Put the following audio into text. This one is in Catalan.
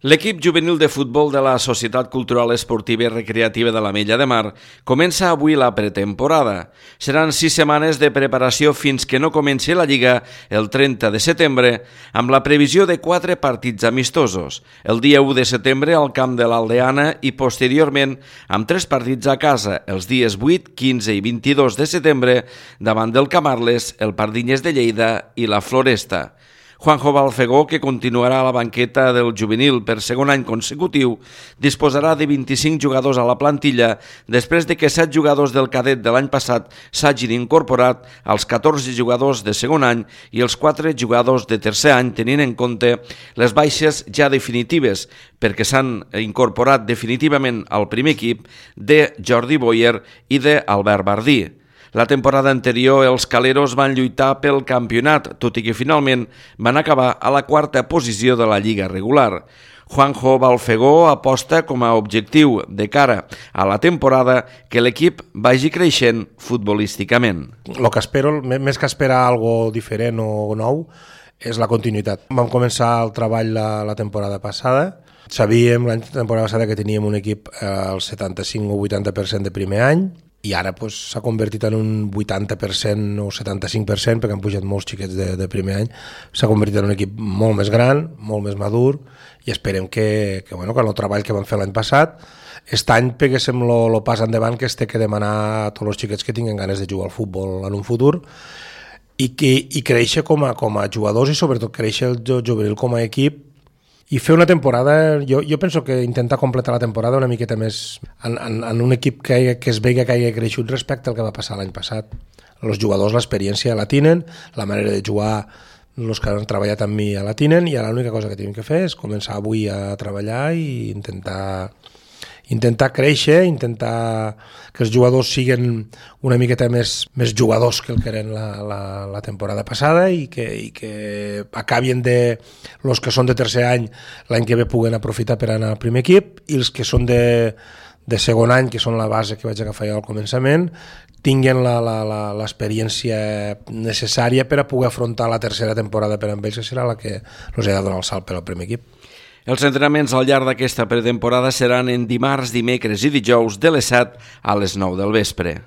L'equip juvenil de futbol de la Societat Cultural Esportiva i Recreativa de l'Ametlla de Mar comença avui la pretemporada. Seran 6 setmanes de preparació fins que no comenci la Lliga el 30 de setembre, amb la previsió de 4 partits amistosos. El dia 1 de setembre al camp de l'Aldeana i posteriorment amb 3 partits a casa, els dies 8, 15 i 22 de setembre, davant del Camarles, el Pardinyes de Lleida i la Floresta. Juanjo Balfegó, que continuarà a la banqueta del juvenil per segon any consecutiu, disposarà de 25 jugadors a la plantilla després de que 7 jugadors del cadet de l'any passat s'hagin incorporat als 14 jugadors de segon any i els 4 jugadors de tercer any, tenint en compte les baixes ja definitives, perquè s'han incorporat definitivament al primer equip de Jordi Boyer i d'Albert Bardí. La temporada anterior els caleros van lluitar pel campionat, tot i que finalment van acabar a la 4a posició de la lliga regular. Juanjo Balfegó aposta com a objectiu de cara a la temporada que l'equip vagi creixent futbolísticament. El que espero, més que esperar algo diferent o nou, és la continuïtat. Vam començar el treball la temporada passada. Sabíem la temporada passada que teníem un equip al 75 o 80% de primer any, i ara s'ha convertit en un 80% o 75%, perquè han pujat molts xiquets de primer any. S'ha convertit en un equip molt més gran, molt més madur, i esperem que el treball que vam fer l'any passat, aquest any peguéssim el pas endavant que es té que demanar a tots els xiquets que tinguin ganes de jugar al futbol en un futur, i créixer com a jugadors i sobretot créixer el juvenil com a equip, i fer una temporada, jo penso que intentar completar la temporada una miqueta més en un equip que es vegi que hagi creixut respecte al que va passar l'any passat. Els jugadors l'experiència la tenen, la manera de jugar els que han treballat amb mi la tenen, i ara l'única cosa que tenim que fer és començar avui a treballar i intentar créixer, intentar que els jugadors siguin una miqueta més jugadors que el que eren la temporada passada, i que acabin els que són de tercer any l'any que ve puguen aprofitar per anar al primer equip, i els que són de segon any, que són la base que vaig agafar jo al començament, tinguin l'experiència necessària per a poder afrontar la tercera temporada per amb ells, que serà la que els ha de donar el salt per al primer equip. Els entrenaments al llarg d'aquesta pretemporada seran en dimarts, dimecres i dijous de les 7 a les 9 del vespre.